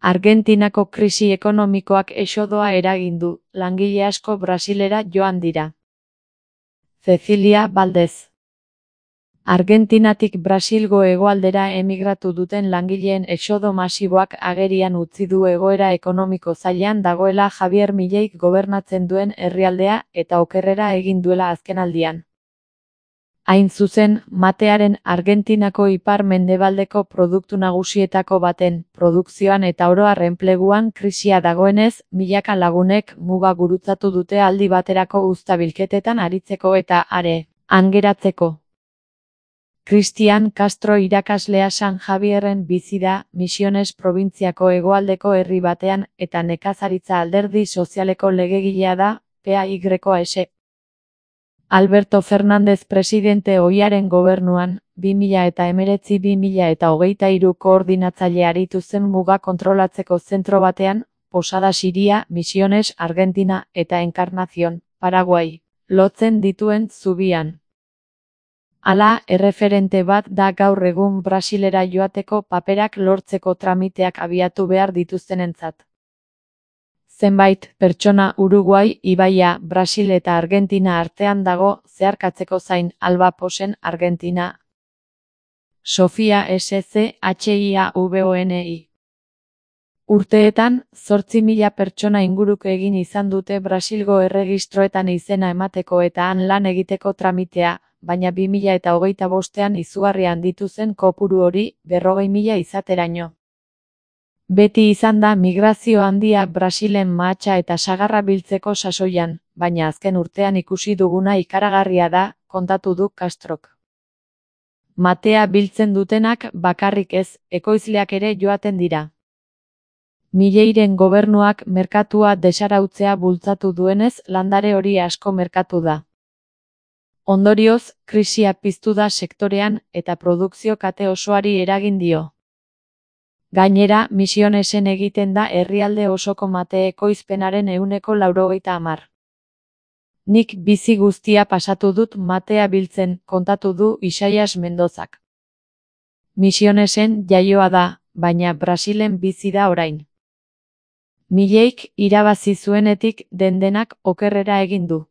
Argentinako krisi ekonomikoak exodoa eragin du, langile asko Brasilera joan dira. Cecilia Valdez. Argentinatik Brasilgo hegoaldera emigratu duten langileen exodo masiboak agerian utzi du egoera ekonomiko zailean dagoela Javier Mileik gobernatzen duen herrialdea eta okerrera egin duela azkenaldian. Hain zuzen, matearen Argentinako ipar-mendebaldeko produktu nagusietako baten produkzioan eta oro har enpleguan krisia dagoenez, milaka lagunek muga gurutzatu dute aldi baterako uzta bilketetan aritzeko eta han geratzeko. Cristian Castro irakaslea San Javierren bizi da, Misiones probintziako hegoaldeko herri batean eta nekazaritza alderdi sozialeko legegilea da, PAYS. Alberto Fernández presidente ohiaren gobernuan, 2019-2023 koordinatzaile aritu zen muga kontrolatzeko zentro batean, Posada Siria, Misiones, Argentina eta Encarnación, Paraguay, lotzen dituen zubian. Hala, erreferente bat da gaur egun Brasilera joateko paperak lortzeko tramiteak abiatu behar dituztenentzat. Zenbait pertsona Uruguai, ibaia, Brasil eta Argentina artean dago, zeharkatzeko zain, Alba Posen, Argentina. Sofia SCHIAVONI. Urteetan, 8.000 pertsona inguruk egin izan dute Brasilgo erregistroetan izena emateko eta han lan egiteko tramitea, baina 2025ean izugarri handitu zen kopuru hori, 40.000 izateraino. Beti izan da migrazio handia Brasilen mahatsa eta sagarra biltzeko sasoian, baina azken urtean ikusi duguna ikaragarria da, kontatu du Castrok. Matea biltzen dutenak bakarrik ez, ekoizleak ere joaten dira. Mileiren gobernuak merkatua desarautzea bultzatu duenez, landare hori asko merkatu da. Ondorioz, krisia piztu da sektorean eta produkzio kate osoari eragin dio. Gainera, Misionesen egiten da herrialde osoko mate ekoizpenaren 90%. Nik bizi guztia pasatu dut matea biltzen, kontatu du Isaias Mendozak. Misionesen jaioa da, baina Brasilen bizi da orain. Mileik irabazi zuenetik dendenak okerrera egin du.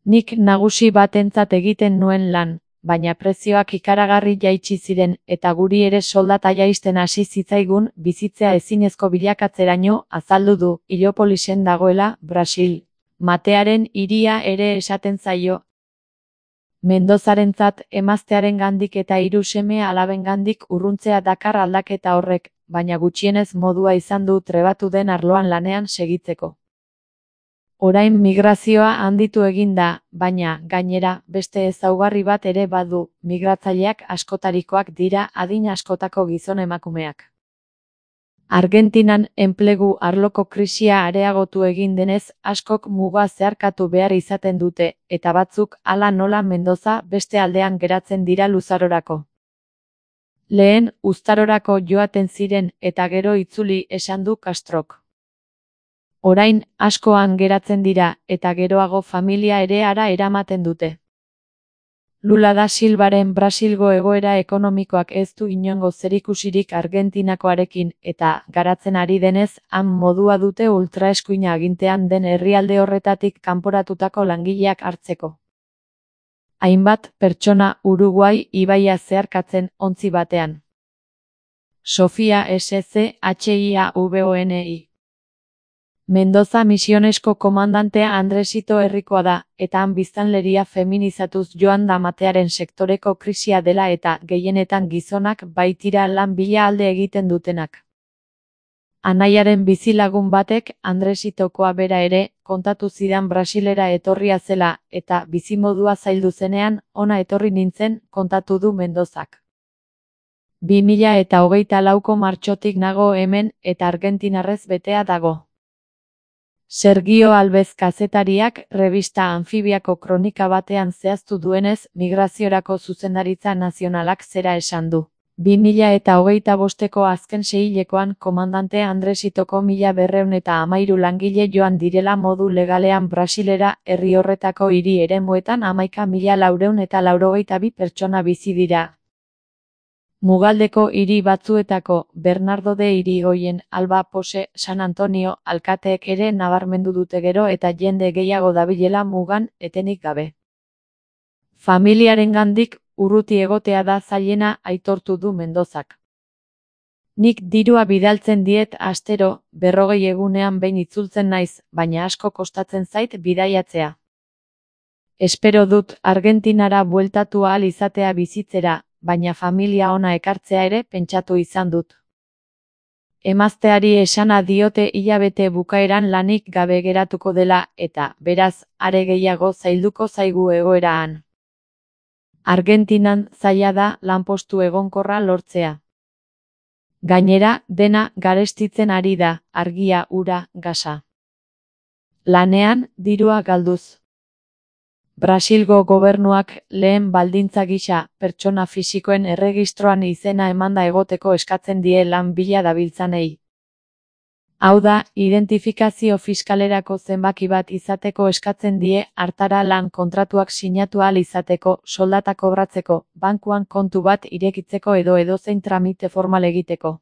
Nik nagusi batentzat egiten nuen lan, baina prezioak ikaragarri jaitsi ziren eta guri ere soldata jaisten hasi zitzaigun bizitzea ezinezko bilakatzeraino, azaldu du, Iliopolisen dagoela, Brasil. Matearen hiria ere esaten zaio. Mendozarentzat emaztearengandik eta 3 seme-alabengandik urruntzea dakar aldaketa horrek, baina gutxienez modua izan du trebatu den arloan lanean segitzeko. Orain migrazioa handitu egin da, baina, gainera, beste ezaugarri bat ere badu, migratzaileak askotarikoak dira adin askotako gizon emakumeak. Argentinan enplegu arloko krisia areagotu egin denez, askok muga zeharkatu behar izaten dute, eta batzuk hala nola Mendoza beste aldean geratzen dira luzarorako. Lehen, uztarorako joaten ziren eta gero itzuli esan du Castrok. Orain, askoan geratzen dira, eta geroago familia ere hara eramaten dute. Lula da Silvaren Brasilgo egoera ekonomikoak ez du inongo zerikusirik Argentinakoarekin, eta, garatzen ari denez, han modua dute ultraeskuina agintean den herrialde horretatik kanporatutako langileak hartzeko. Hainbat pertsona Uruguai ibaia zeharkatzen ontzi batean. Sofia SCHIAVONI. Mendoza Misionesko komandantea Andresito herrikoa da, eta han biztanleria feminizatuz joan da matearen sektoreko krisia dela eta gehienetan gizonak baitira lan bila alde egiten dutenak. Anaiaren bizilagun batek, Andresitokoa bera ere, kontatu zidan Brasilera etorria zela, eta bizimodua zaildu zenean, ona etorri nintzen, kontatu du Mendozak. 2024ko martxotik nago hemen, eta argentinarrez betea dago. Sergio Alvez kazetariak revista Anfibiako kronika batean zehaztu duenez, migraziorako zuzendaritza nazionalak zera esan du. 2025ko azken seihilekoan komandante Andresitoko 1213 langile joan direla modu legalean Brasilera, herri horretako hiri eremuetan 11.482 pertsona bizi dira. Mugaldeko hiri batzuetako Bernardo de Irigoyen, Alba Pose, San Antonio alkateek ere nabarmendu dute gero eta jende gehiago dabilela mugan etenik gabe. Familiarengandik urruti egotea da zailena, aitortu du Mendozak. Nik dirua bidaltzen diet astero, 40 egunean behin itzultzen naiz, baina asko kostatzen zait bidaiatzea. Espero dut Argentinara bueltatu ahal izatea bizitzera, baina familia ona ekartzea ere pentsatu izan dut. Emazteari esana diote hilabete bukaeran lanik gabe geratuko dela eta, beraz, are gehiago zailduko zaigu egoeraan. Argentinan zaila da lanpostu egonkorra lortzea. Gainera, dena garestitzen ari da, argia, ura, gasa. Lanean, dirua galduz. Brasilgo gobernuak lehen baldintza gisa pertsona fisikoen erregistroan izena emanda egoteko eskatzen die lan bila dabiltzanei. Hau da, identifikazio fiskalerako zenbaki bat izateko eskatzen die hartara lan kontratuak sinatu ahal izateko, soldata kobratzeko, bankuan kontu bat irekitzeko edo edozein tramite formal egiteko.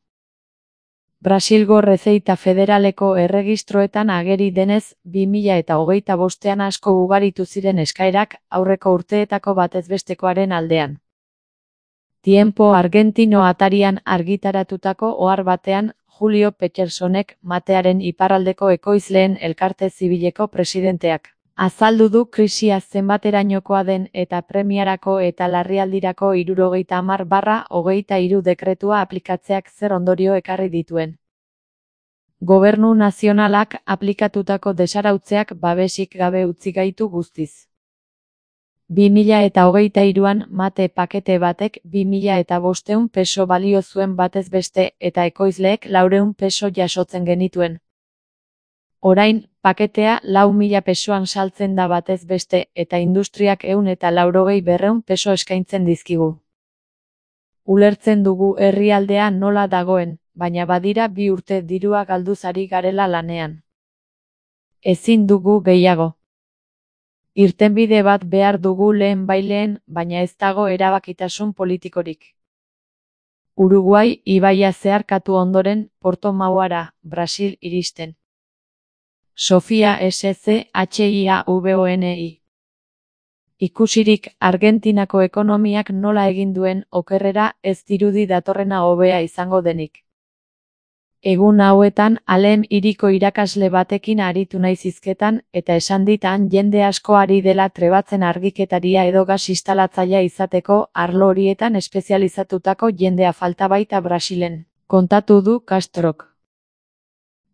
Brasilgo Rezeita Federaleko erregistroetan ageri denez, 2025ean asko ugaritu ziren eskaerak aurreko urteetako batezbestekoaren aldean. Tiempo Argentino atarian argitaratutako ohar batean, Julio Petersonek, Matearen iparraldeko ekoizleen elkarte zibileko presidenteak, azaldu du krisia zenbaterainokoa den eta premiarako eta larrialdirako 70/23 dekretua aplikatzeak zer ondorio ekarri dituen. Gobernu nazionalak aplikatutako desarautzeak babesik gabe utzi gaitu guztiz. 2023an mate pakete batek 2500 peso balio zuen batez beste eta ekoizleek 400 peso jasotzen genituen. Orain, paketea 4.000 pesoan saltzen da batez beste eta industriak 180-200 peso eskaintzen dizkigu. Ulertzen dugu herrialdea nola dagoen, baina badira 2 urte dirua galduz ari garela lanean. Ezin dugu gehiago. Irtenbide bat behar dugu lehenbailehen, baina ez dago erabakitasun politikorik. Uruguai ibaia zeharkatu ondoren, Porto-Mauara, Brasil iristen. Sofia SCHIAVONI. Ikusirik Argentinako ekonomiak nola egin duen okerrera ez dirudi datorrena hobea izango denik. Egun hauetan Alem hiriko irakasle batekin aritu naiz hizketan eta esan dit han jende asko ari dela trebatzen argiketaria edo gas instalatzailea izateko arlo horietan espezializatutako jendea falta baita Brasilen, kontatu du Castrok.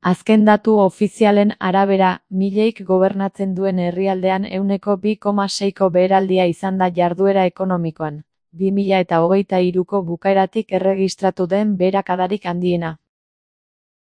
Azken datu ofizialen arabera, mileik gobernatzen duen herrialdean 2,6ko beheraldia izan da jarduera ekonomikoan, 2023ko bukaeratik erregistratu den beherakadarik handiena.